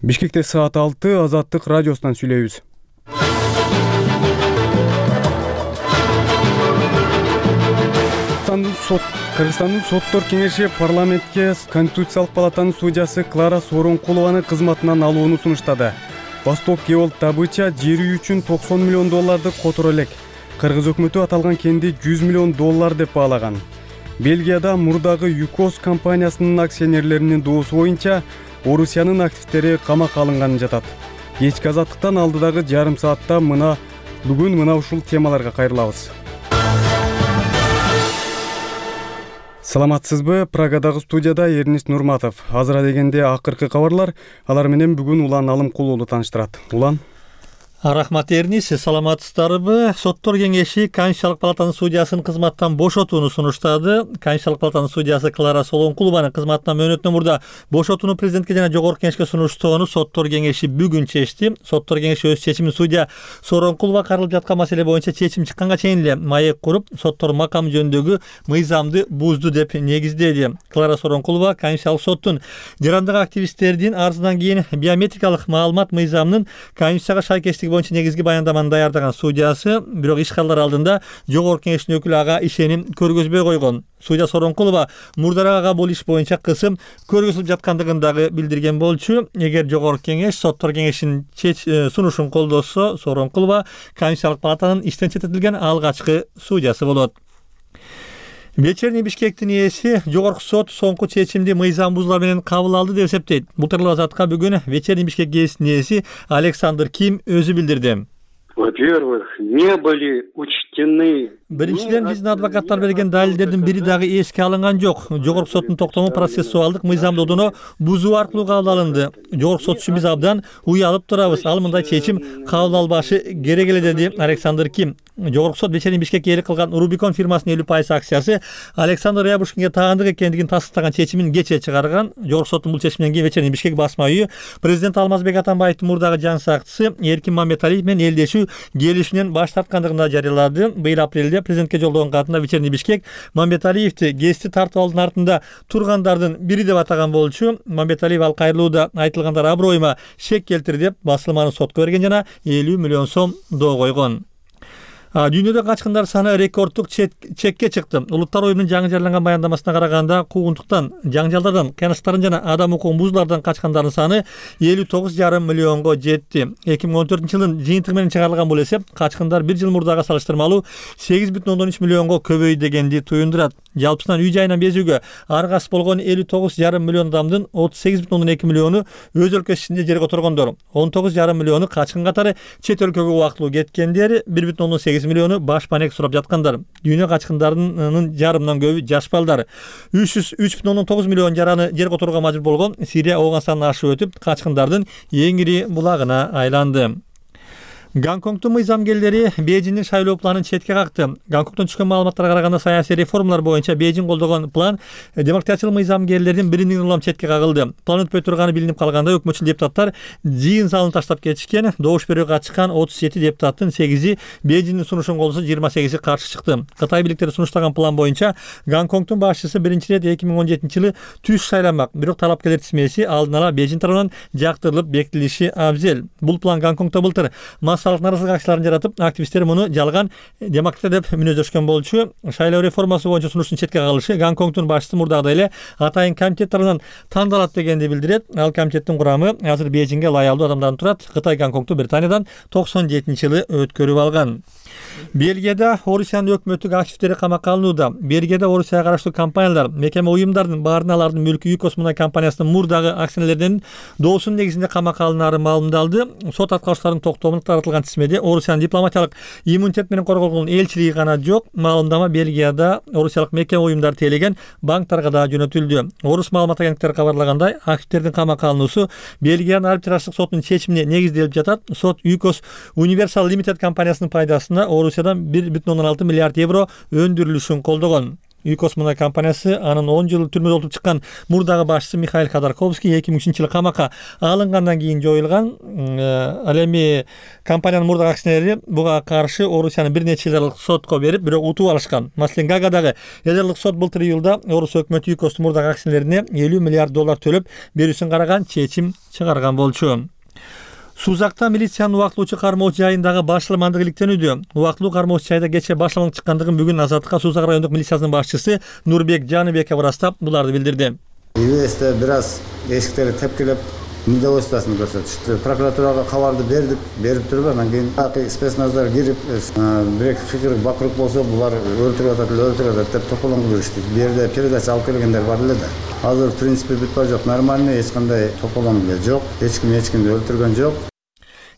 Бишкекте саат 6 Азаттык радиосунан сүйлөйбүз. Кыргызстандын соттор кеңеши парламентке Конституциялык палатанын судьясы Клара Сооронкулованы кызматынан алууну сунуштады. Восток Геолд добыча жери үчүн $90 миллион которо элек. Кыргыз өкмөтү аталган кенди $100 миллион деп баалаган. Бельгияда мурдагы ЮКОС компаниясынын акционерлеринин доосу боюнча Орусиянын активдери камакка алынганын жатат. Кечки азаттыктан алдыдагы жарым саатта бүгүн мына ушул темаларга кайрылабыз. Саламатсызбы? Прагадагы студияда Эрнис Нурматов. Азыра дегенде акыркы кабарлар, алар менен бүгүн Улан Алымкулуулу тааныштырат. Улан. Рахмат Эрнис, саламатсыздарбы? Соттор кеңеши Конституциялык палатанын судьясын кызматтан бошотууну сунуштады. Конституциялык палатанын судьясы Клара Сооронкулованын кызматтан мөөнөтүнөн мурда бошотууну президентке жана жогорку кеңешке сунуштоону соттор кеңеши бүгүн чечти. Соттор кеңеши өз чечимин судья Сооронкулова каралып жаткан маселе боюнча чечим чыкканга чейин эле маек куруп, соттор макам жөнүндөгү мыйзамды бузду деп негиздеди. Клара Сооронкулова Конституциялык соттун жарандык активисттердин арызынан кийин биометрикалык маалымат мыйзамынын Конституцияга шайкештиги боюнча негизги баяндаманы даярдаган судьясы, бирок ишкалдар алдында жогорку кеңештин өкүлү ага ишеним көргөзбөй койгон. Судья Сооронкулова мурдараак ага бул иш боюнча кысым көргөзүлүп жаткандыгын дагы билдирген болчу. Эгер жогорку кеңеш соттор кеңешинин сунушун колдосо, Сооронкулова Конституциялык палатанын иштен четтетилген алгачкы судьясы болот. Вечерний Бишкектин ээси жогорку сот соңку чечимди мыйзам бузуулар менен кабыл алды деп эсептейт. Бул тууралуу Азатка бүгүн Вечерний Бишкек гезитинин ээси Александр Ким өзү билдирди. Во-первых, не были учтены. Биринчиден, биздин адвокаттар берген далилдердин бири дагы эске алынган жок. Жогорку соттун токтому процессуалдык мыйзамдоодуну бузуу аркылуу кабыл алынды. Жогорку сот үчүн биз абдан уялып турабыз. Ал мындай чечим кабыл албашы керек эле, деди Александр Ким. Жогорку сот Вечерний Бишкекке ээлик кылган Рубикон фирмасынын 50% акциясы Александр Рябушкинге таандык экендигин тастыктаган чечимин кечээ чыгарган. Жогорку соттун бул чечиминен кийин Вечерний Бишкек басма үйү президент Алмазбек Атамбаевдин мурдагы жан сакчысы Эркин Мамбеталиев менен элдешүү келишүүнөн баш тарткандыгын жарыялады. Быйыл апрелде президентке жолдогон катында Вечерний Бишкек Мамбеталиевди гезитти тартып алуунун артында тургандардын бири деп атаган болчу. Мамбеталиев ал кайрылууда айтылгандар аброюма шек келтирди деп басылманы сотко берген жана $50 миллион доо койгон. Дүйнөдө качкындар саны рекордтук чекке чыкты. Улуттар уюмунун жаңы жарыяланган баяндамасына караганда, куугунтуктан, жаңжалдардан, кыянычтардан жана адам укугун бузуулардан качкандардын саны 59,5 миллионго жетти. 2014-жылдын жыйынтыгы менен чыгарылган бул эсеп качкындар бир жыл мурдага салыштырмалуу 8,3 миллионго көбөйдү дегенди туюндурат. Жалпысынан үй жайынан безүүгө аргасыз болгон 59,5 миллион адамдын 38,2 миллиону өз өлкөсү ичинде жер которгондор, 19,5 миллиону качкын катары чет өлкөгө убактылуу кеткендер, 1,8 миллиону баш панек сурап жаткандар. Дүйнө качкындарынын жарымынан көбү жаш балдар. 3,9 миллион жараны жер которууга мажбур болгон Сирия Ооганстанды ашып өтүп, качкындардын эң ири булагына айланды. Гонконгдун мыйзамгерлери Бейжиңдин шайлоо планын четке какты. Гонконгдон түшкөн маалыматтарга караганда саясий реформалар боюнча Бейжиң колдогон план демократиялык мыйзамгерлердин бириндигин улам четке кагылды. План өтпөй турганы билинип калганда өкмөтчүл депутаттар жыйын залын таштап кетишкен. Добуш берүүгө катышкан 37 депутаттын 8-и Бейжиңдин сунушун колдосо, 28-и каршы чыкты. Кытай бийликтери сунуштаган план боюнча Гонконгдун башчысы биринчи ирет 2017-жылы түз шайланмак. Бирок талапкерлер тизмеси алдын ала Бейжиң тарабынан жактырылып бекитилиши абзел. Бул план Гонконгдо былтыр наразылык акцияларын жаратып, активисттер муну жалган демократия деп мүнөздөшкөн болчу. Шайлоо реформасы боюнча сунуштун четке кагылышы Гонконгдун башчысы мурдагыдай эле атайын комитет тарабынан тандалат дегенди билдирет. Ал комитеттин курамы азыр Бейжиңге ылайыктуу адамдардан турат. Кытай Гонконгду Британиядан 97-жылы өткөрүп алган. Бельгияда Орусиянын өкмөттүк активдери камакка алынууда. Бельгияда Орусияга караштуу компаниялар, мекеме уюмдардын баарына алардын мүлкү ЮКОС мунай компаниясынын мурдагы акционерлеринин доосунун негизинде камакка алынаары маалымдалды. Сот аткаруучуларынын токтомуна таратылган тизмеде Орусиянын дипломатиялык иммунитет менен корголгон элчилиги гана жок. Маалымдама Бельгияда Орусиялык мекеме уюмдары тейлеген банктарга да жөнөтүлдү. Орус маалымат агенттиктери кабарлагандай, активдердин камакка алынуусу Бельгиянын арбитраждык сотунун чечимине негизделип жатат. Сот ЮКОС Universal Limited компаниясынын пайдасына Орусиядан 1,6 миллиард евро өндүрүлүшүн колдогон. ЮКОС мундай компаниясы анын 10 жыл түрмөдө отуруп чыккан мурдагы башчысы Михаил Ходорковский 2003-жылы камакка алынгандан кийин жоюлган. Ал эми компаниянын мурдагы акционери буга каршы Орусиянын бир нече жылдык сотко берип, бирок утуп алышкан. Маселен, Гаагадагы элдерлик сот былтыр июлда Орус өкмөтү ЮКОСтун мурдагы акционерине $50 миллиард төлөп берүүсүн караган чечим чыгарган болчу. Сузакта милициянын убактылуучу кармоочу жайындагы башаламандыгы иликтенүүдө. Убактылуу кармоочу жайда кече башаламандык чыккандыгын бүгүн Азаттыкка Сузак райондук милициясынын башчысы Нурбек Жаныбеков ырастап, буларды билдирди. ИВСте бир аз эшиктерди тепкилеп, недовольствосын көрсөтүштү. Прокуратурага кабарды берип туруп, анан кийин спецназар кирип, бирок фикир бакырык болсо, булар өлтүрүп атат деп тополоңго жүрүштү. Бу жерде передача алып келгендер бар эле да. Азыр в принципе бүтпө жок, нормальный, эч кандай тополоң жок, эч кимди өлтүргөн жок.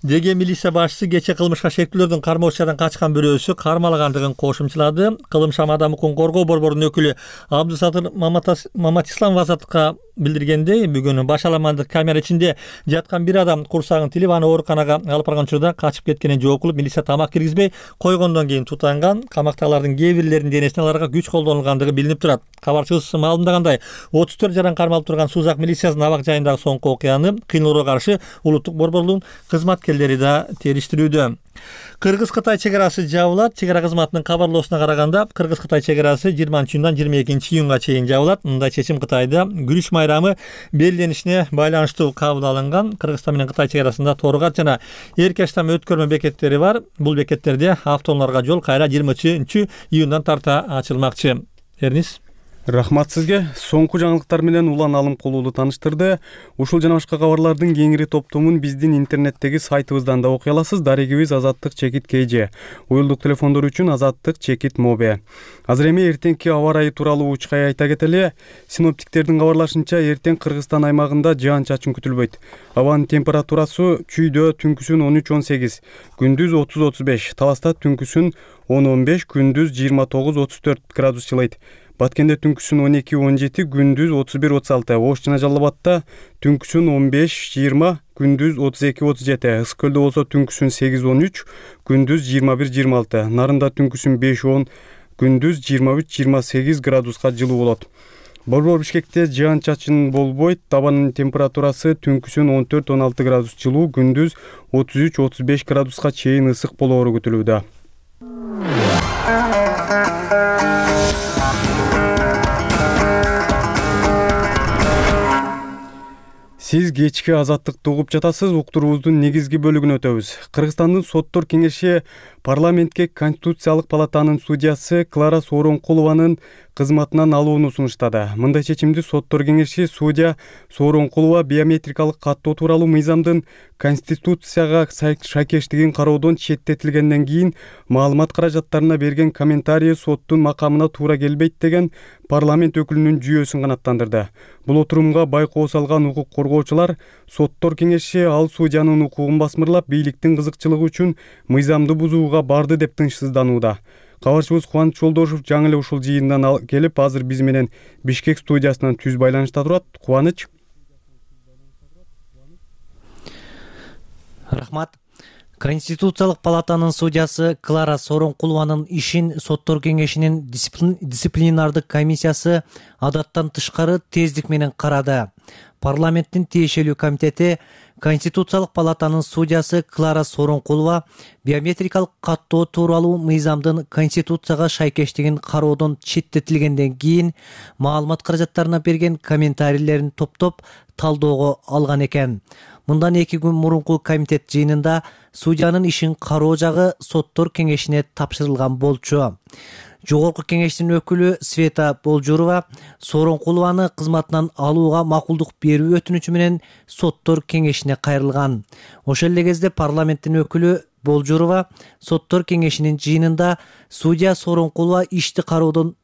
Деге милиция башчысы кече кылмышка шектүүлөрдүн кармоочудан качкан бирөөсү кармалгандыгын кошумчалады. Кылымшам адам укугун коргоо борборунун өкүлү Абдусатыр Маматисламов Азаттыкка билдиргендей, бүгүн башаламандык камера ичинде жаткан бир адам курсагын тилип, аны ооруканага алып барган учурда качып кеткенин жооп кылып, милиция тамак киргизбей койгондон кийин тутанган. Камактагылардын кээ бирлеринин денесине аларга күч колдонулгандыгы билинип турат. Кабарчыбыз маалымдагандай, 34 жаран кармалып турган Сузак милициясынын абак жайындагы соңку окуяны кыйноолорго каршы улуттук борборлугунун кызматкерлери да териштирүүдө. Кыргыз-Кытай чек арасы жабылат. Чек ара кызматынын кабарлоосуна караганда, Кыргыз-Кытай чек арасы 20-дан 22-июнга чейин жабылат. Мындай чечим Кытайда күрүч майрамы белгиленишине байланыштуу кабыл алынган. Кыргызстан менен Кытай чек арасында Торгат жана Эркештам өткөрмө бекеттери бар. Бул бекеттерде автоунааларга жол кайра 23-июндан тарта ачылмакчы. Эрнис. Рахмат сизге. Соңку жаңылыктар менен Улан Алымкулуулу тааныштырды. Ушул жана башка кабарлардын кеңири топтомун биздин интернеттеги сайтыбыздан да окуй аласыз. Дарегибиз Азаттык чекит КЖ. Уюлдук телефондор үчүн Азаттык чекит Мобе. Азыр эми эртеңки аба ырайы тууралуу учкай айта кетели. Синоптиктердин кабарлашынча, эртең Кыргызстан аймагында жаан-чачын күтүлбөйт. Абанын температурасы чүйдө түнкүсүн 13-18, күндүз 30-35, Таласта түнкүсүн 10-15, күндүз 29-34 градус жылыйт. Баткенде түнкүсүн 12-17, күндүз 31-36, Ош жана Жалал Абадта түнкүсүн 15-20, күндүз 32-37, Ысык көлдө болсо түнкүсүн 8-13, күндүз 21-26, Нарында түнкүсүн 5-10, күндүз 23-28 градуска жылуу болот. Борбор Бишкекте жаан-чачын болбойт. Табанын температурасы түнкүсүн 14-16 градус жылуу, күндүз 33-35 градуска чейин ысык болоору күтүлүүдө. Сиз кечки Азаттыкты угуп жатасыз. Уктуруубуздун негизги бөлүгүнө өтөбүз. Кыргызстандын соттор кеңеши парламентке Конституциялык палатанын судьясы Клара Сооронкулованын кызматынан алууну сунуштады. Мындай чечимди соттор кеңеши судья Сооронкулова биометрикалык каттоо тууралуу мыйзамдын Конституцияга шайкештигин кароодон четтетилгенден кийин маалымат каражаттарына берген комментарий соттун макамына туура келбейт деген парламент өкүлүнүн жүйөсүн канааттандырды. Бул отурумга байкоо салган укук коргоочулар соттор кеңеши ал судьянын укугун басмырлап, бийликтин кызыкчылыгы үчүн мыйзамды бузууга барды деп тынчсызданууда. Кабарчыбыз Кубаныч Жолдошов жаңы эле ушул жыйындан келип, азыр биз менен Бишкек студиясынан түз байланышта турат. Кубаныч. Рахмат. Конституциялык палатанын судьясы Клара Сооронкулованын ишин соттор кеңешинин дисциплинардык комиссиясы адаттан тышкары тездик менен карады. Парламенттин тиешелүү комитети Конституциялык палатанын судьясы Клара Сооронкулова биометрикалык каттоо тууралуу мыйзамдын Конституцияга шайкештигин кароодон четтетилгенден кийин маалымат каражаттарына берген комментарийлерин топтоп талоого алган экен. Мындан 2 күн мурунку комитет жыйынында судьянын ишин кароо жагы соттор кеңешине тапшырылган болчу. Жогорку кеңештин өкүлү Света Болжурова Сооронкулованы кызматынан алууга макулдук берүү өтүнүчү менен соттор кеңешине кайрылган. Ошол эле кезде парламенттин өкүлү Болжурова соттор кеңешинин жыйынында судья Сооронкулова ишти кароодон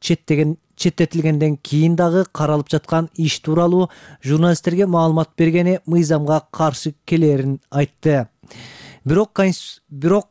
четтетилгенден кийин дагы каралып жаткан иш тууралуу журналисттерге маалымат бергени мыйзамга каршы келерин айтты. Бирок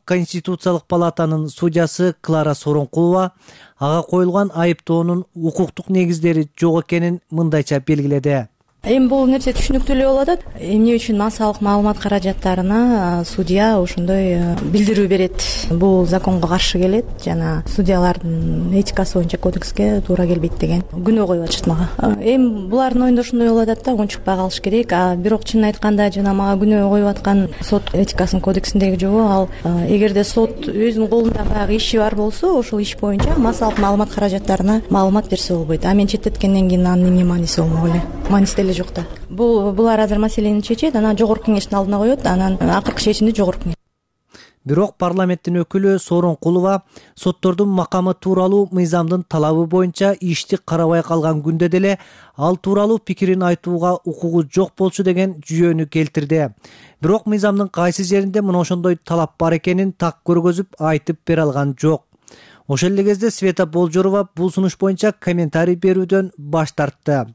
Конституциялык палатанын судьясы Клара Сооронкулова ага коюлган айыптоонун укуктук негиздери жок экенин мындайча белгиледи. Эми бул нерсе түшүнүктүү эле болуп атат. Эмне үчүн массалык маалымат каражаттарына судья ошондой билдирүү берет? Бул законго каршы келет жана судьялардын этикасы боюнча кодекске туура келбейт деген күнөө коюп атышат мага. Эми булардын оюнда ошондой болуп атат да, унчукпай калыш керек. Бирок чынын айтканда жана мага күнөө коюп аткан сот этикасынын кодексиндеги жобо ал эгерде сот өзүнүн колунда баягы иши бар болсо, ошол иш боюнча массалык маалымат каражаттарына маалымат берсе болбойт. Мен четтеткенден кийин анын эмне мааниси болмок эле? Мааниси деле жок да. Булар азыр маселени чечет, анан жогорку кеңештин алдына коет, анан акыркы чечимди жогорку кеңеш. Бирок парламенттин өкүлү Сооронкулова соттордун макамы тууралуу мыйзамдын талабы боюнча ишти карабай калган күндө деле ал тууралуу пикирин айтууга укугу жок болчу деген жүйөнү келтирди. Бирок мыйзамдын кайсы жеринде мына ошондой талап бар экенин так көргөзүп айтып бере алган жок. Ошол эле кезде Света Болжорова бул сунуш боюнча комментарий берүүдөн баш тартты.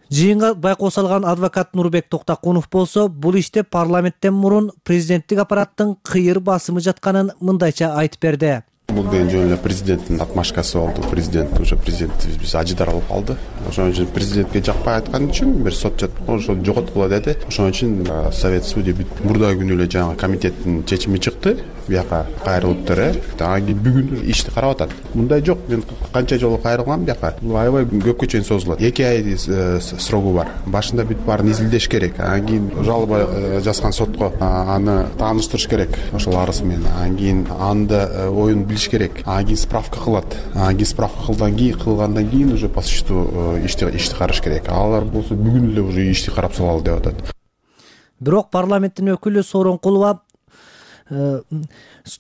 Жыйынга байкоо салган адвокат Нурбек Токтакунов болсо, бул иште парламенттен мурун президенттик аппараттын кыйыр басымы жатканын мындайча айтып берди. Бул деген жөн эле президенттин отмашкасы болду. Президент биз ажыдар алып алды. Ошон үчүн президентке жакпай айткан үчүн бир сот ошо жоготкула деди. Ошон үчүн совет судья мурдагы күнү эле жаңы комитеттин чечими чыкты. Бияка кайрылыптыр. Бүгүн ишти карап атат. Мындай жок. Мен канча жолу кайрылгам бияка. Бул аябай көпкө чейин созулат. 2 ай срогу бар. Башында бүт баарын изилдеш керек. Анан кийин жалоба жазган сотко аны тааныштырыш керек. Ошол арыз менен. Анан кийин анда оюн билиш керек. Анан кийин справка кылат. Анан кийин справка кылгандан кийин уже по существу ишти караш керек. Алар болсо бүгүн эле уже ишти карап салалы деп атат. Бирок парламенттин өкүлү Сооронкулова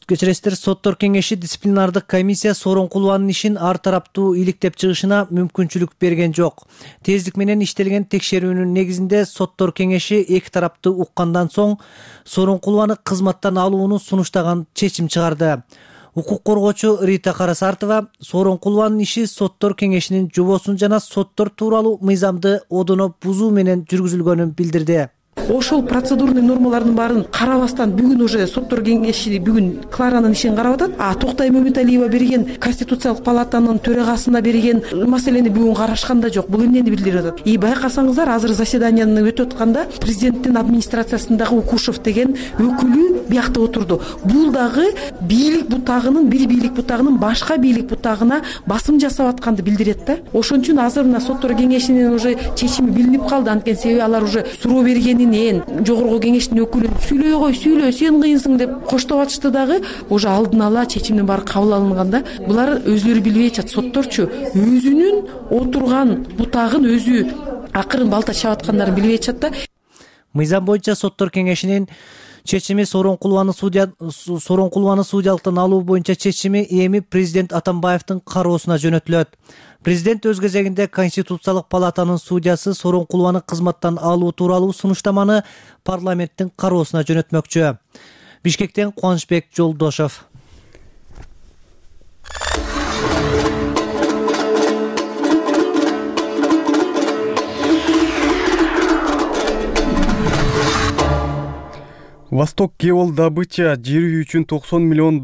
кечиресиздер, соттор кеңеши дисциплинардык комиссия Сооронкулованын ишин ар тараптуу иликтеп чыгышына мүмкүнчүлүк берген жок. Тездик менен иштелген текшерүүнүн негизинде соттор кеңеши эки тарапты уккандан соң Сооронкулованы кызматтан алууну сунуштаган чечим чыгарды. Укук коргоочу Рита Карасартова Сооронкулованын иши соттор кеңешинин жобосун жана соттор тууралуу мыйзамды одоно бузуу менен жүргүзүлгөнүн билдирди. Ошол процедурный нормалардын баарын карабастан бүгүн уже соттор кеңеши бүгүн Кларанын ишин карап атат. Токтай Мөмүталиева берген Конституциялык палатанын төрагасына берген маселени бүгүн карашкан да жок. Бул эмнени билдирип атат? Байкасаңыздар, азыр заседанияны өтүп атканда президенттин администрациясындагы Укушев деген өкүлү биякта отурду. Бул дагы бийлик бутагынын, бир бийлик бутагынын башка бийлик бутагына басым жасап атканды билдирет да. Ошон үчүн азыр мына соттор кеңешинин уже чечими билинип калды. Анткени себеби алар уже суроо бергенин жогорку кеңештин өкүлү сүйлөй кой, сүйлө, сен кыйынсың деп коштоп атышты дагы уже алдын ала чечимдин баары кабыл алынганда булар өзлөрү билбей атышат. Сотторчу өзүнүн отурган бутагын өзү акырын балта чап аткандарын билбей атышат да. Мыйзам боюнча соттор кеңешинин чечими Сооронкулованы судьялыктан алуу боюнча чечими эми президент Атамбаевдин кароосуна жөнөтүлөт. Президент өз кезегинде Конституциялык палатанын судьясы Сооронкулованы кызматтан алуу тууралуу сунуштаманы парламенттин кароосуна жөнөтмөкчү. Бишкектен Кубанычбек Жолдошов. Восток Кевол добыча жери үчүн $90 миллион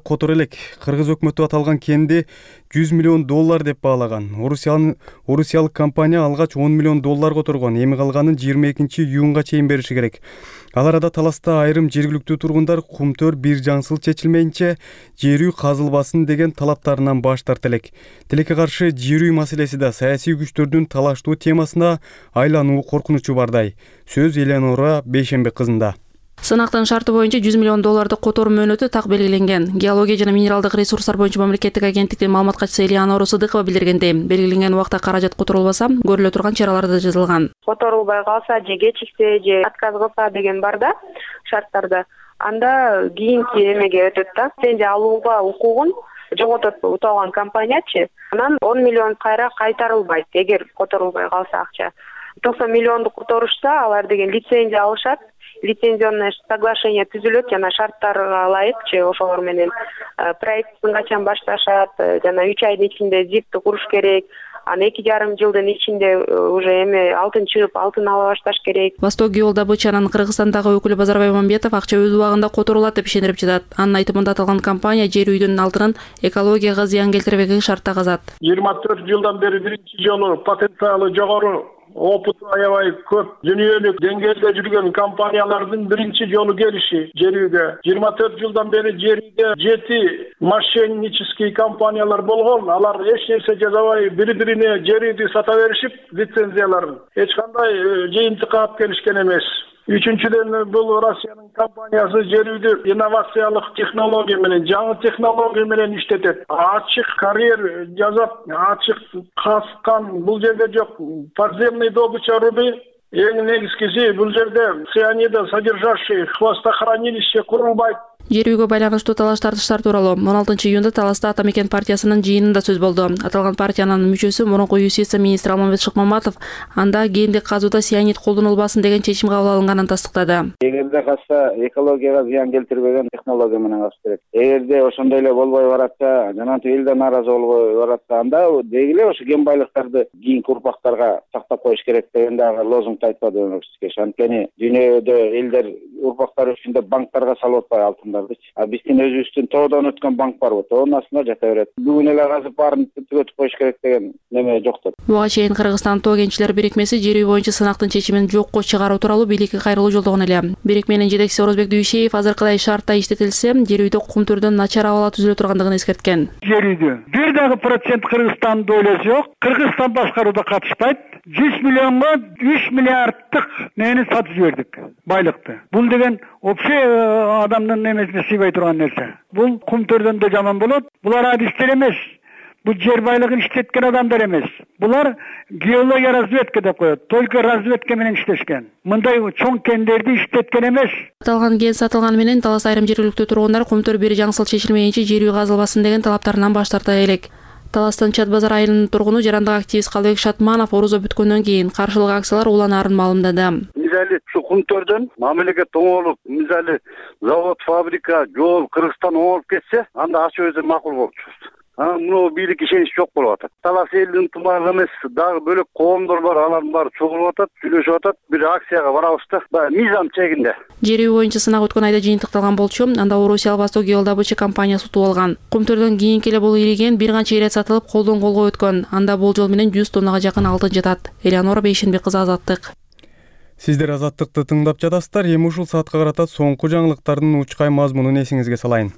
которо элек. Кыргыз өкмөтү аталган кенди $100 миллион деп баалаган. Орусиялык компания алгач $10 миллион которгон. Эми калганын 22-июнга чейин бериши керек. Ал арада таласта айрым жергиликтүү тургундар кумтөр бир жаңсыл чечилмейинче жер үй казылбасын деген талаптарынан баш тарта элек. Тилекке каршы жер үй маселеси да саясий күчтөрдүн талаштуу темасына айлануу коркунучу бардай. Сөз Эленора Бейшембек кызында. Сынактын шарты боюнча $100 миллион которуу мөөнөтү так белгиленген. Геология жана минералдык ресурстар боюнча мамлекеттик агенттиктин маалымат катчысы Элеонора Сыдыкова билдиргендей, белгиленген убакта каражат которулбаса, көрүлө турган чаралар да жазылган. Которулбай калса же кечиксе же отказ кылса деген бар да шарттарда. Анда кийинки эмеге өтөт да. Лицензия алууга укугун жоготот уталган компаниячы. Анан 10 миллион кайра кайтарылбайт эгер которулбай калса акча. 90 миллионду которушса, алар деген лицензия алышат. Лицензионное соглашение түзүлөт жана шарттарга ылайыкчы ошолор менен проектин качан башташат, жана 3 айдын ичинде ЗИПти куруш керек. Аны 2,5 жылдын ичинде уже эми алтын чыгып, алтын ала башташ керек. Восток Геол добычанын Кыргызстандагы өкүлү Базарбай Мамбетов акча өз убагында которулат деп ишендирип жатат. Анын айтымында аталган компания жер үйдүн алтынын экологияга зыян келтирбеген шартта казат. 24 жылдан бери биринчи жолу потенциалы жогору опыту аябай көп. Дүйнөлүк деңгээлде жүргөн компаниялардын биринчи жолу келиши жерүүгө. 24 жылдан бери жерүүгө 7 мошеннический компаниялар болгон. Алар эч нерсе жасабай бири-бирине жерүүдү сата беришип, лицензияларын эч кандай жыйынтыкка алып келишкен эмес. Үчүнчүдөн бул Россиянын компаниясы жерүүдү инновациялык технология менен, жаңы технология менен иштетет. Ачык карьер жазат, ачык казкан бул жерде жок. Подземный добыча руды эң негизгиси бул жерде цианида содержащий хвостохранилище курулбайт. Жерүүгө байланыштуу талаш тартыштар тууралуу 16 июнда Таласта Ата Мекен партиясынын жыйынында сөз болду. Аталган партиянын мүчөсү мурунку юстиция министри Алмамбет Шыкмаматов анда гендик казууда цианид колдонулбасын деген чечим кабыл алынганын тастыктады. Эгерде качса экологияга зыян келтирбеген технология менен качыш керек. Эгерде ошондой эле болбой баратса, жана эл да нааразы болбой баратса, анда деги эле ошо ген байлыктарды кийинки урпактарга сактап коюш керек деген дагы лозунгду айтпадыбы кеше. Анткени дүйнөдө элдер урпактар үчүн деп банктарга салып атпайбы алтындарды. А биздин өзүбүздүн тоодон өткөн банк барбы? Тоонун астында жата берет. Бүгүн эле казып баарын түгөтүп коюш керек деген неме жоктур. Буга чейин Кыргызстан тоо кенчилер бирикмеси жерүү боюнча сынактын чечимин жокко чыгаруу тууралуу бийликке кайрылуу жолдогон эле. Бирикменин жетекчиси Орозбек Дүйшеев азыркыдай шартта иштетилсе, жерүүдө кум түрдөн начар абал түзүлө тургандыгын эскерткен. Жерүүдө бир дагы процент Кыргызстандын дойлосу жок. Кыргызстан башкарууда катышпайт. 100 миллионго 3 миллиарддык нени сатып жибердик, байлыкты. Бул деген вообще адамдын немесине сыйбай турган нерсе. Бул кум төрдөн да жаман болот. Булар адистер эмес. Бул жер байлыгын иштеткен адамдар эмес. Булар геология разведка деп коет. Только разведка менен иштешкен. Мындай чоң кендерди иштеткен эмес. Аталган ген сатылганы менен Талас айрым жергиликтүү тургундар кум төр бери жаңсыл чечилмейинче жерүү казылбасын деген талаптарынан баш тарта элек. Таластын Чат базар айылынын тургуну жарандык активист Калбек Шатманов орозо бүткөндөн кийин каршылык акциялар уланаарын маалымдады. Мисалы ушу кум төрдөн мамилеге тоңолуп, мисалы завод, фабрика, жол Кыргызстан оңолуп кетсе, анда ачуу өзү макул болчу. Мына бийлик ишенич жок болуп атат. Талас элдин тумагы эмес, дагы бөлөк коомдор бар, алардын баары чогулуп атат, сүйлөшүп атат. Бир акцияга барабыз да, баягы мыйзам чегинде. Жерүү боюнча сынак өткөн айда жыйынтыкталган болчу, анда Орусия Восток геодобыча компаниясы утуп алган. Кум төрдөн кийинки эле бул ириген бир канча ирет сатылып, колдон колго өткөн. Анда болжол менен 100 тоннага жакын алтын жатат. Элеонора Бейшенбек кызы, Азаттык. Сиздер Азаттыкты тыңдап жатасыздар. Эми ушул саатка карата соңку жаңылыктардын учкай мазмунун эсиңизге салайын.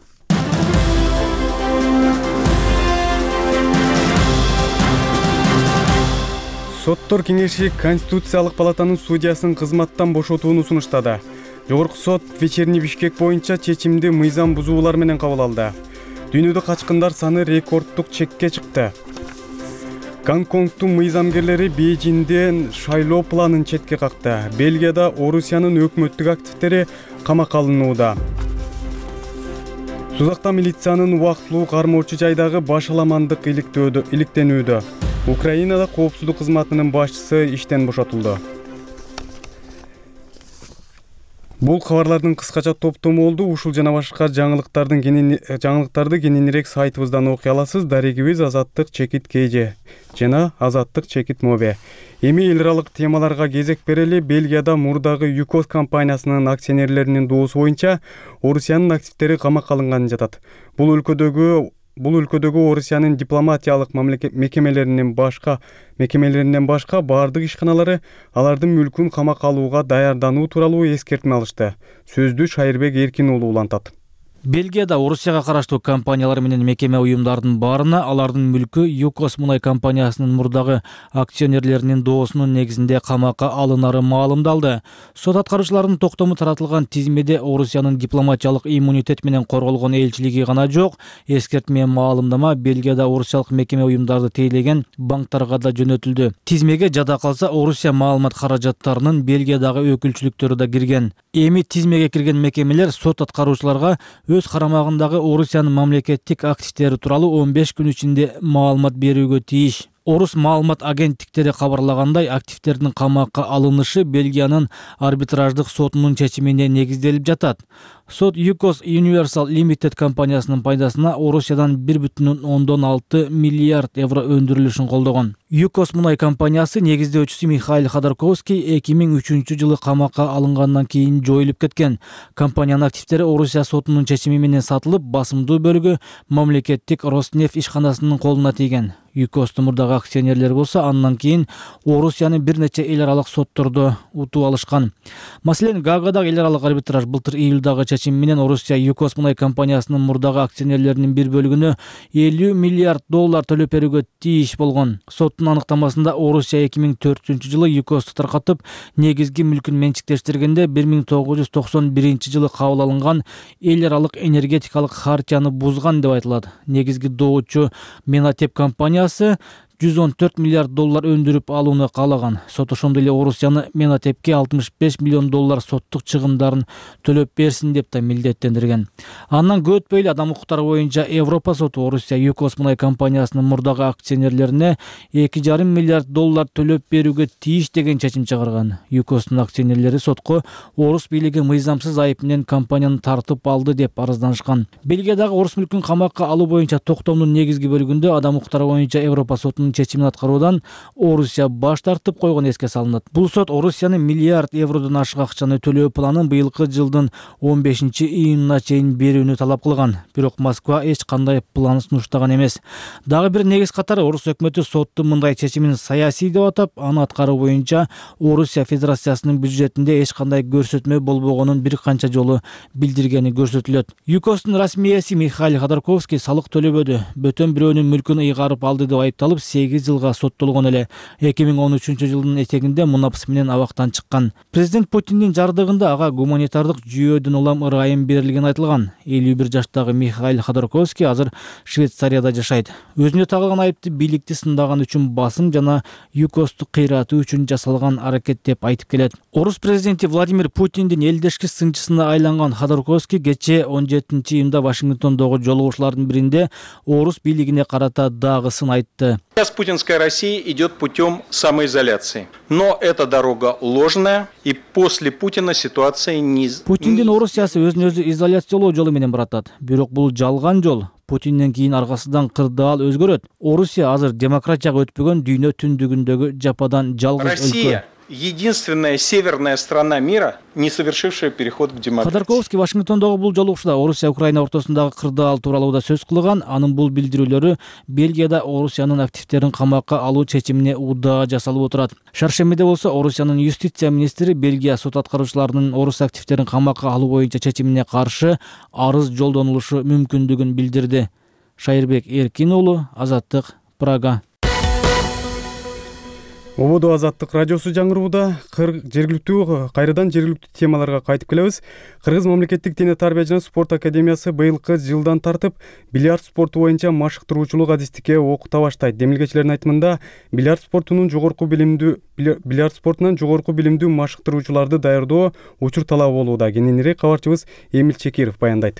Соттор кеңеши Конституциялык палатанын судьясын кызматтан бошотууну сунуштады. Жогорку сот Вечерний Бишкек боюнча чечимди мыйзам бузуулар менен кабыл алды. Дүйнөдө качкындар саны рекорддук чекке чыкты. Гонконгдун мыйзамгерлери Бейжиңден шайлоо планын четке какты. Бельгияда Орусиянын өкмөттүк активдери камакка алынууда. Сузакта милициянын убактылуу кармоочу жайдагы башаламандык иликтенүүдө. Украинада коопсуздук кызматынын башчысы иштен бошотулду. Бул кабарлардын кыскача топтому болду. Ушул жана башка жаңылыктарды кененирээк сайтыбыздан окуй аласыз. Дарегибиз Азаттык Чекит КЖ жана Азаттык Чекит Мобе. Эми эл аралык темаларга кезек берели. Бельгияда мурдагы ЮКОС компаниясынын акционерлеринин доосу боюнча Орусиянын активдери камакка алынганы жатат. Бул өлкөдөгү Орусиянын дипломатиялык мекемелеринен башка баардык ишканалары алардын мүлкүн камакка алууга даярдануу тууралуу эскертме алышты. Сөздү Шайырбек Эркин уулу улантат. Бельгияда Орусияга караштуу компаниялар менен мекеме уюмдардын баарына алардын мүлкү ЮКОС мунай компаниясынын мурдагы акционерлеринин доосунун негизинде камакка алынары маалымдалды. Сот аткаруучуларынын токтому таратылган тизмеде Орусиянын дипломатиялык иммунитет менен корголгон элчилиги гана жок. Эскертме маалымдама Бельгияда орусиялык мекеме уюмдарды тейлеген банктарга да жөнөтүлдү. Тизмеге жада калса Орусия маалымат каражаттарынын Бельгиядагы өкүлчүлүктөрү да кирген. Эми тизмеге кирген мекемелер сот аткаруучуларга өз карамагындагы Орусиянын мамлекеттик активдери тууралуу 15 күн ичинде маалымат берүүгө тийиш. Орус маалымат агенттиктери кабарлагандай, активдердин камакка алынышы Бельгиянын арбитраждык сотунун чечимине негизделип жатат. Сот ЮКОС Universal Limited компаниясынын пайдасына Орусиядан 1,6 миллиард евро өндүрүлүшүн колдогон. ЮКОС мунай компаниясы негиздөөчүсү Михаил Ходорковский 2003 жылы камакка алынгандан кийин жоюлуп кеткен. Компаниянын активдери Орусия сотунун чечими менен сатылып, басымдуу бөлүгү мамлекеттик Роснефть ишканасынын колуна тийген. ЮКОстун мурдагы акционерлери болсо андан кийин Орусияны бир нече эл аралык соттордо утуп алышкан. Маселен, Гаагадагы эл аралык арбитраж былтыр июлдагы чечим менен Орусия ЮКОс мунай компаниясынын мурдагы акционерлеринин бир бөлүгүнө $50 миллиард төлөп берүүгө тийиш болгон. Соттун аныктамасында Орусия 2004-жылы ЮКОсту таркатып, негизги мүлкүн менчиктештиргенде 1991-жылы кабыл алынган эл аралык энергетикалык хартияны бузган деп айтылат. Негизги доочу Менатеп компаниясы $114 миллиард өндүрүп алууну каалаган. Сот ошондой эле Орусияны Менатепке $65 миллион соттук чыгымдарын төлөп берсин деп да милдеттендирген. Андан көп өтпөй эле адам укуктары боюнча Европа соту Орусия ЮКОс мунай компаниясынын мурдагы акционерлерине $2,5 миллиард төлөп берүүгө тийиш деген чечим чыгарган. ЮКОстун акционерлери сотко орус бийлиги мыйзамсыз айып менен компанияны тартып алды деп арызданышкан. Бельгиядагы орус мүлкүн камакка алуу боюнча токтомдун негизги бөлүгүндө адам укуктары боюнча Европа сотунун чечимин аткаруудан Орусия баш тартып койгон эске салынат. Бул сот Орусиянын миллиард евродон ашык акчаны төлөө планын быйылкы жылдын 15-июнуна чейин берүүнү талап кылган. Бирок Москва эч кандай план сунуштаган эмес. Дагы бир негиз катары орус өкмөтү соттун мындай чечимин саясий деп атап, аны аткаруу боюнча Орусия Федерациясынын бюджетинде эч кандай көрсөтмө болбогонун бир канча жолу билдиргени көрсөтүлөт. ЮКОстун расмий ээси Михаил Ходорковский салык төлөбөдү, бөтөн бирөөнүн мүлкүн ыйгарып алды деп айыпталып 8 жылга соттолгон эле. 2013-жылдын этегинде мунапс менен абактан чыккан. Президент Путиндин жардыгында ага гуманитардык жүйөдөн улам ырайым берилгени айтылган. 51 жаштагы Михаил Ходорковский азыр Швейцарияда жашайт. Өзүнө тагылган айыпты бийликти сындаган үчүн басым жана ЮКОсту кыйратуу үчүн жасалган аракет деп айтып келет. Орус президенти Владимир Путиндин элдешки сынчысына айланган Ходорковский кечээ 17-июнда Вашингтондогу жолугушуулардын биринде орус бийлигине карата дагы сын айтты. Сейчас путинская Россия идет путем самоизоляции. Но эта дорога ложная, и после Путина ситуация не... Путиндин Орусиясы өзүн өзү изоляциялоо жолу менен баратат. Бирок бул жалган жол. Путинден кийин аркасынан кырдаал өзгөрөт. Орусия азыр демократияга өтпөгөн дүйнө түндүгүндөгү жападан жалгыз өлкө. Россия единственная северная страна мира, не совершившая переход к демократии. Ходорковский Вашингтондогу бул жолугушууда Орусия Украина ортосундагы кырдаал тууралуу да сөз кылган. Анын бул билдирүүлөрү Бельгияда Орусиянын активдерин камакка алуу чечимине удаа жасалып отурат. Шаршембиде болсо Орусиянын юстиция министри Бельгия сот аткаруучуларынын орус активдерин камакка алуу боюнча чечимине каршы арыз жолдонулушу мүмкүндүгүн билдирди. Шайырбек Эркин уулу, Азаттык, Прага. Ободо Азаттык радиосу жаңырууда кайрадан жергиликтүү темаларга кайтып келебиз. Кыргыз мамлекеттик дене тарбия жана спорт академиясы быйылкы жылдан тартып бильярд спорту боюнча машыктыруучулук адистикке окута баштайт. Демилгечилердин айтымында бильярд спортунан жогорку билимдүү машыктыруучуларды даярдоо учур талабы болууда. Кененирээк кабарчыбыз Эмил Чекиров баяндайт.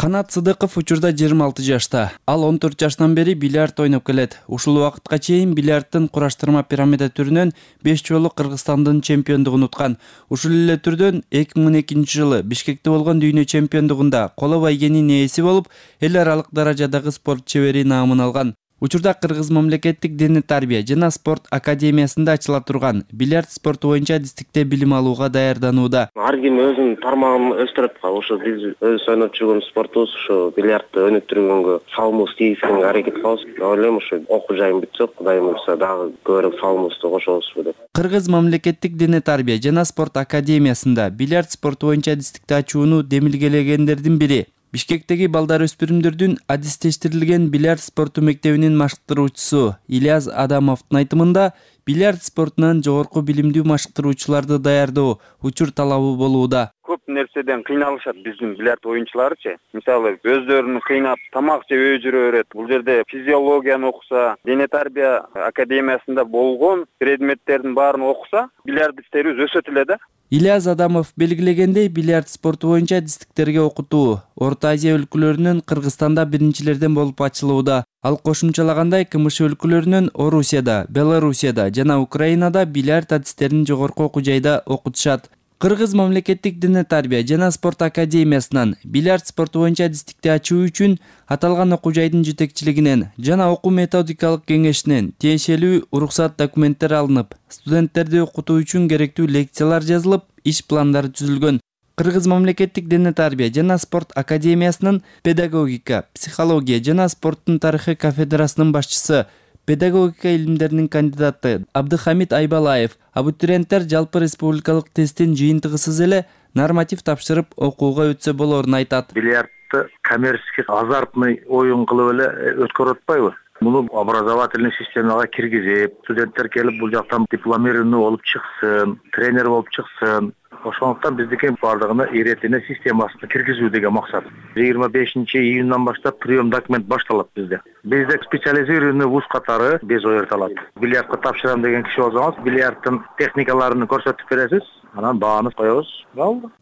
Канат Сыдыков учурда 26 жашта. Ал 14 жаштан бери бильярд ойноп келет. Ушул убакытка чейин бильярдтын кураштырма пирамида түрүнөн 5 жолу Кыргызстандын чемпиондугун уткан. Ушул эле түрдөн 2012-жылы Бишкекте болгон дүйнө чемпиондугунда коло байгенин ээси болуп, эл аралык даражадагы спорт чебери наамын алган. Учурда Кыргыз мамлекеттик дене тарбия жана спорт академиясында ачыла турган бильярд спорту боюнча адистикте билим алууга даярданууда. Ар ким өзүнүн тармагын өстүрөт. Ошо биз өз ойноп жүргөн спортубуз ушу бильярдты өнүктүргөнгө салымыбыз тийишине аракет кылабыз. Ойлойм ушу окуу жайым бүтсө, Кудайым буйрса дагы көбүрөөк салымыбызды кошобузбу деп. Кыргыз мамлекеттик дене тарбия жана спорт академиясында бильярд спорту боюнча адистикти ачууну демилгелегендердин бири Бишкектеги балдар өспүрүмдөрдүн адистештирилген бильярд спорту мектебинин машыктыруучусу Ильяс Адамовдун айтымында бильярд спортунан жогорку билимдүү машыктыруучуларды даярдоо учур талабы болууда. Көп нерседен кыйналышат биздин бильярд оюнчуларычы. Мисалы, өздөрүн кыйнап тамак жеп жүрө берет. Бул жерде физиологияны окуса, дене тарбия академиясында болгон предметтердин баарын окуса, бильярдисттерибиз өсөт эле да. Ильяс Адамов белгилегендей, бильярд спорту боюнча адистиктерге окутуу Орто Азия өлкөлөрүнөн Кыргызстанда биринчилерден болуп ачылууда. Ал кошумчалагандай, КМШ өлкөлөрүнөн Орусияда, Белоруссияда жана Украинада бильярд адистерин жогорку окуу жайда окутушат. Кыргыз мамлекеттик дене тарбия жана спорт академиясынан бильярд спорту боюнча адистикти ачуу үчүн аталган окуу жайдын жетекчилигинен жана окуу методикалык кеңешинен тиешелүү уруксат документтер алынып, студенттерди окутуу үчүн керектүү лекциялар жазылып, иш пландары түзүлгөн. Кыргыз мамлекеттик дене тарбия жана спорт академиясынын педагогика, психология жана спорттун тарыхы кафедрасынын башчысы педагогика илимдеринин кандидаты Абдыхамид Айбалаев абитуриенттер жалпы республикалык тесттин жыйынтыгысыз эле норматив тапшырып окууга өтсө болорун айтат. Бильярдты коммерческий азартный оюн кылып эле өткөрүп атпайбы? Муну образовательный системага киргизип, студенттер келип бул жактан дипломированный болуп чыксын, тренер болуп чыксын. Ошондуктан биздики бардыгына иретине системасына киргизүү деген максат. 25-июндан баштап прием документ башталат bizde. Bizde специализированный вуз катары без оерталат. Бильярдка тапшырам деген киши болсоңуз, бильярдтын техникаларын көрсөтүп бересиз, анан бааны коебуз.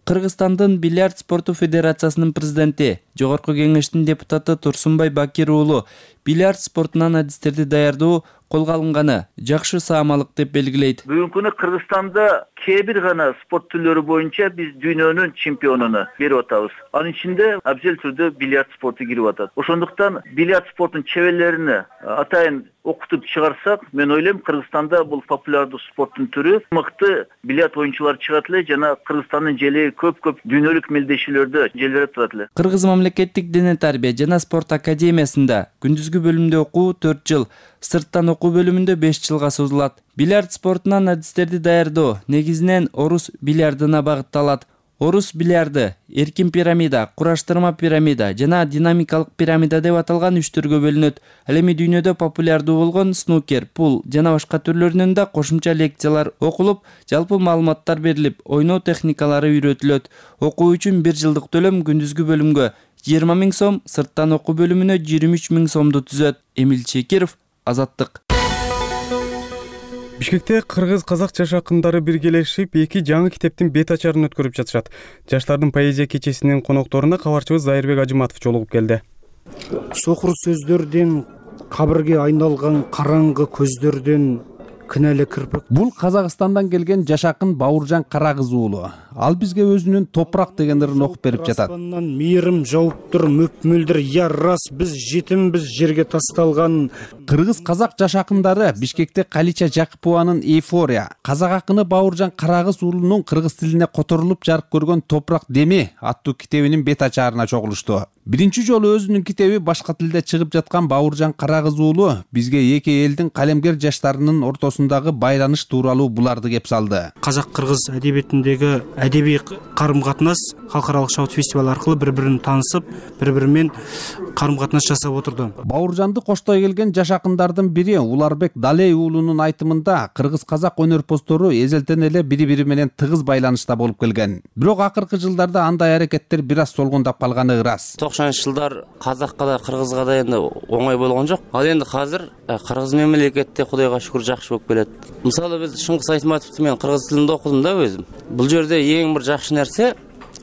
Кыргызстандын бильярд спорту федерациясынын президенти, Жогорку кеңештин депутаты Турсунбай Бакир уулу бильярд спортунан адистерди даярдоо колго алынганы жакшы саамалык деп белгилейт. Бүгүнкү күнү Кыргызстанда кээ бир гана спорт түрлөрү боюнча биз дүйнөнүн чемпионуну берип атабыз. Анын ичинде абзел түрдө бильярд спорту кирип атат. Ошондуктан бильярд спортунун чеберлерине атайын окутуп чыгарсак, мен ойлойм Кыргызстанда бул популярдуу спорттун түрү мыкты бильярд оюнчулар чыгат эле жана Кыргызстандын желеги көп дүйнөлүк мелдешүүлөрдө желбиреп турат эле. Кыргыз мамлекеттик дене тарбия жана спорт академиясында күндүзгү бөлүмдө окуу 4 жыл, сырттан окуу бөлүмүндө 5 жылга созулат. Бильярд спортунан адистерди даярдоо негизинен орус бильярдына багытталат. Орус бильярды эркин пирамида, кураштырма пирамида жана динамикалык пирамида деп аталган 3 түргө бөлүнөт. Ал эми дүйнөдө популярдуу болгон снукер, пул жана башка түрлөрүнөн да кошумча лекциялар окулуп, жалпы маалыматтар берилип, ойноо техникалары үйрөтүлөт. Окуу үчүн 1 жылдык төлөм күндүзгү бөлүмгө 20 000 сом, сырттан окуу бөлүмүнө 23 000 сомду түзөт. Эмил Чекиров, Азаттык. Бишкекте кыргыз-казак жаш акындары биргелешип, 2 жаңы китептин бет ачарын өткөрүп жатышат. Жаштардын поэзия кечесинин конокторуна кабарчыбыз Зайырбек Ажыматов жолугуп келди. Сокур сөздөрдөн кабырга айналган караңгы көздөрдөн кінәлі кірпік. Бұл Қазақстандан келген жаш акын Бауыржан Карагыз уулу. Ал бизге өзүнүн топурак деген ырын окуп берип жатат. Аспандан мейрим жауып тур мөп-мөлдүр, я рас биз жетимбиз жерге тасталган. Кыргыз-казак жаш акындары Бишкекте Калича Жакыпованын Эйфория, казак акыны Бауыржан Карагыз уулунун кыргыз тилине которулуп жарык көргөн Топурак деми аттуу китебинин бет ачарына чогулушту. Биринчи жолу өзүнүн китеби башка тилде чыгып жаткан Бауыржан Карагыз уулу бизге эки элдин калемгер жаштарынын ортосундагы байланыш тууралуу буларды кеп салды. Казак-кыргыз әдебиетіндегі әдеби карым-катнаш халыкаралык шабыт фестивалы аркылуу бири-бирин таанышып, бири-бири карым-катнаш жасап отурду. Бауыржанды коштой келген жаш акындардын бири Уларбек Далей уулунун айтымында кыргыз-казак өнөрпоздору эзелтен эле бири-бири менен тыгыз байланышта болуп келген. Бирок акыркы жылдарда андай аракеттер бир аз солгундап калганы ырас. 90-жылдар казакка да кыргызга да энди оңой болгон жок. Ал энди азыр кыргыз мемлекетте Кудайга шүгүр жакшы болуп келет. Мисалы биз Шыңгыз Айтматовду мен кыргыз тилинде окудум да өзүм. Бул жерде эң бир жакшы нерсе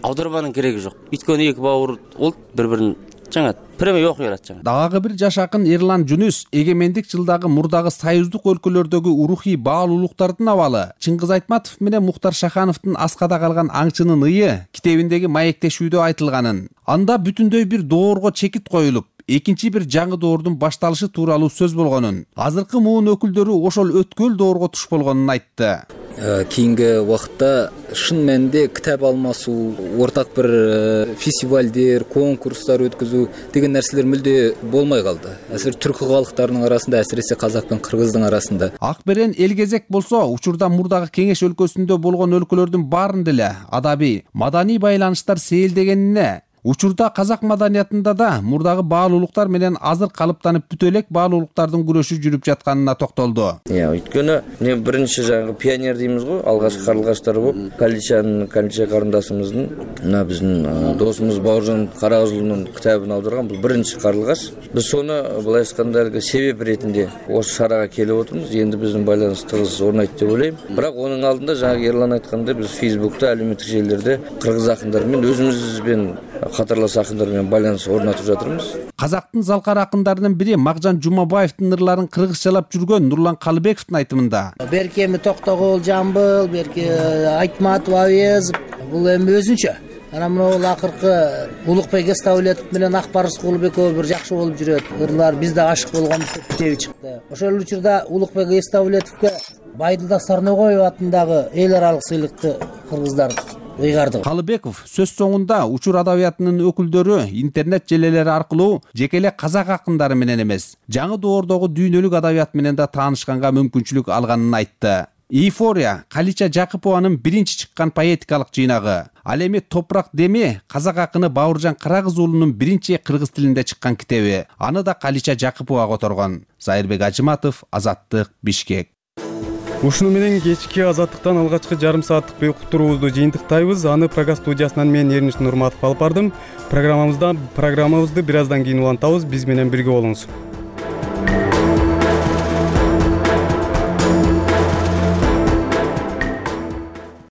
аударманын кереги жок. Өйткөнү эки бауыр улт бири-бирин жаңа премия окуй алат жаңа. Дагы бир жаш акын Эрлан Жүнүс эгемендик жылдагы мурдагы союздук өлкөлөрдөгү урухий баалуулуктардын абалы, Чыңгыз Айтматов менен Мухтар Шахановдун аскада калган аңчынын ыйы китебиндеги маектешүүдө айтылганын, анда бүтүндөй бир доорго чекит коюлуп, экинчи бир жаңы доордун башталышы тууралуу сөз болгонун, азыркы муун өкүлдөрү ошол өткөл доорго туш болгонун айтты. Кийинки убакытта шын мәнинде китап алмасуу, ортак бир фестивалдер, конкурстар өткөзүү деген нерселер мүлдө болмой калды. Азыр түркү калктарынын арасында, әсиресе казак менен кыргыздын арасында. Акберен Элгезек болсо, учурда мурдагы кеңеш өлкөсүндө болгон өлкөлөрдүн баарында эле адабий, маданий байланыштар сейилдегенине, учурда казак маданиятында да мурдагы баалуулуктар менен азыр калыптанып бүтө элек баалуулуктардын күрөшү жүрүп жатканына токтолду. Өйткөнү мен биринчи жаңы пионер деймиз го, алгачкы карлыгаштар болуп, Калича карындашыбыздын, мына биздин досубуз Бауыржан Карагыз уулунун китабын алдырган бул биринчи карлыгаш. Биз сону былай айтканда себеп ретинде осы шарага келип отурмуз. Энди биздин байланыш тыгыз орнойт деп ойлойм. Бирок онун алдында жаңы Ерлан айткандай биз Facebook'та, алюмиттик желилерде кыргыз акындары менен өзүбүзбен катарлаш акындар менен байланыш орнотуп жатырмыз. Казактын залкар акындарынын бири Макжан Жумабаевдин ырларын кыргызчалап жүргөн Нурлан Калыбековдун айтымында. Берки эми Токтогул Жамбыл, берки Айтматов Авезов, бул эми өзүнчө. Анан мына акыркы Улукбек Эставлетов менен Акбарыс Кулубек экөө бир жакшы болуп жүрөт. Ырлар бизде ашык болгонбуз деп китеби чыкты. Ошол учурда Улукбек Эставлетовго Байдылда Сарногоев атындагы эл аралык сыйлыкты кыргыздар ыйгарды. Калыбеков сөз соңунда учур адабиятынын өкүлдөрү интернет желелери аркылуу жеке эле казак акындары менен эмес, жаңы доордогу дүйнөлүк адабият менен да таанышканга мүмкүнчүлүк алганын айтты. Эйфория Калича Жакыпованын биринчи чыккан поэтикалык жыйнагы. Ал эми Топурак деми казак акыны Бауыржан Карагыз уулунун биринчи кыргыз тилинде чыккан китеби. Аны да Калича Жакыпова которгон. Зайырбек Ажыматов, Азаттык, Бишкек. Ушуну менен кечки Азаттыктан алгачкы жарым сааттык уктуруубузду жыйынтыктайбыз. Аны Прага студиясынан мен Эрниш Нурматов алып бардым. Программабызды бир аздан кийин улантабыз. Биз менен бирге болуңуз.